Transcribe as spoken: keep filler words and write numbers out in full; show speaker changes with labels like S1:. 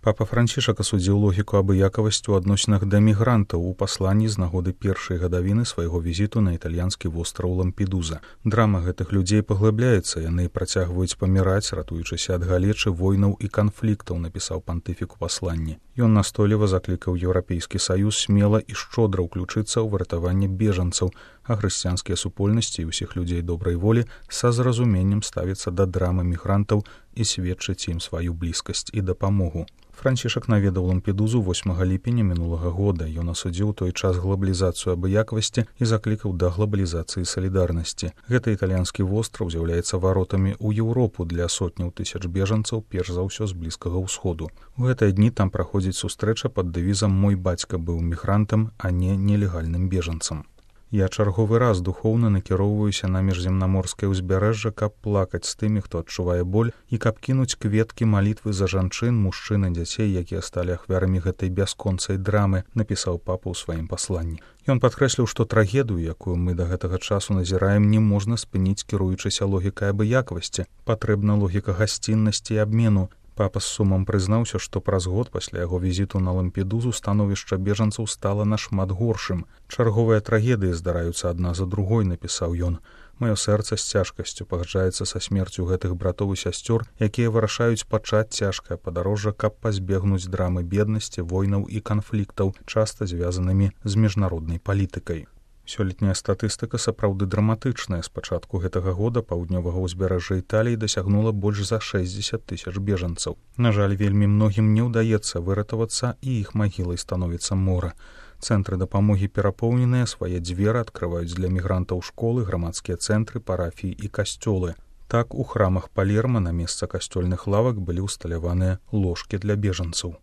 S1: Папа Францішак асудзіў логіку абыякавасці ў адносінах да мігрантаў у пасланні з нагоды першай гадавіны свайго візіту на італьянскі востраў Лампедуза. Драма гэтых людзей паглыбляецца, яны працягваюць паміраць, ратуючыся ад галечы, войнаў і канфліктаў, напісаў пантыфік у пасланні. Ён настойліва заклікаў Еўрапейскі саюз смела і шчодра ўключыцца ў выратаванне бежанцаў, а хрысціянскія супольнасці і ўсіх людзей добрай волі са зразуменнем ставіцца да драмы мігрантаў і сведчыць ім сваю блізкасць і дапамогу. Францішак наведаў Лампедузу восьмага ліпеня мінулага года. Ён асудзіў той час глабалізацыю абыякавасці і заклікаў да глабалізацыі салідарнасці. Гэты італьянскі востраў з'яўляецца варотамі ў Еўропу для сотняў тысяч бежанцаў, перш за ўсё з Блізкага ўсходу. У гэтыя дні там праходзіць сустрэча пад дэвізам «Мой бацька быў мігрантам, а не нелегальным бежанцам». Я чарговы раз духоўна накіроўваюся на міжземнаморскае ўзбярэжжа, каб плакаць з тымі, хто адчувае боль, і каб кінуць кветкі малітвы за жанчын, мужчын і дзяцей, якія сталі ахвярамі гэтай бясконцай драмы, напісаў папа ў сваім пасланні. Ён падкрэсліў, што трагедыю, якую мы да гэтага часу назіраем, не можна спыніць, кіруючыся логікай абыякавасці. Патрэбна логіка гасціннасці і абмену. Папа з сумам прызнаўся, што праз год пасля яго візіту на Лампедузу становішча бежанцаў стала нашмат горшым. Чарговыя трагедыі здараюцца адна за другой, напісаў ён. Маё сэрца з цяжкасцю пагаджаецца са смерцю гэтых братоў і сясцёр, якія вырашаюць пачаць цяжкае падарожжа, каб пазбегнуць драмы беднасці, войнаў і канфліктаў, часта звязанымі з міжнароднай палітыкай. Сёлетняя статыстыка сапраўды драматычная. З пачатку гэтага года паўднёвага ўзбярэжжа Італіі дасягнула больш за шэсцьдзесят тысяч бежанцаў. На жаль, вельмі многім не ўдаецца выратавацца, і іх магілай становіцца мора. Цэнтры дапамогі перапоўненыя, свае дзверы адкрываюць для мігрантаў школы, грамадскія цэнтры, парафіі і касцёлы. Так, у храмах Палерма на месца касцёльных лавак былі ўсталяваныя ложкі для бежанцаў.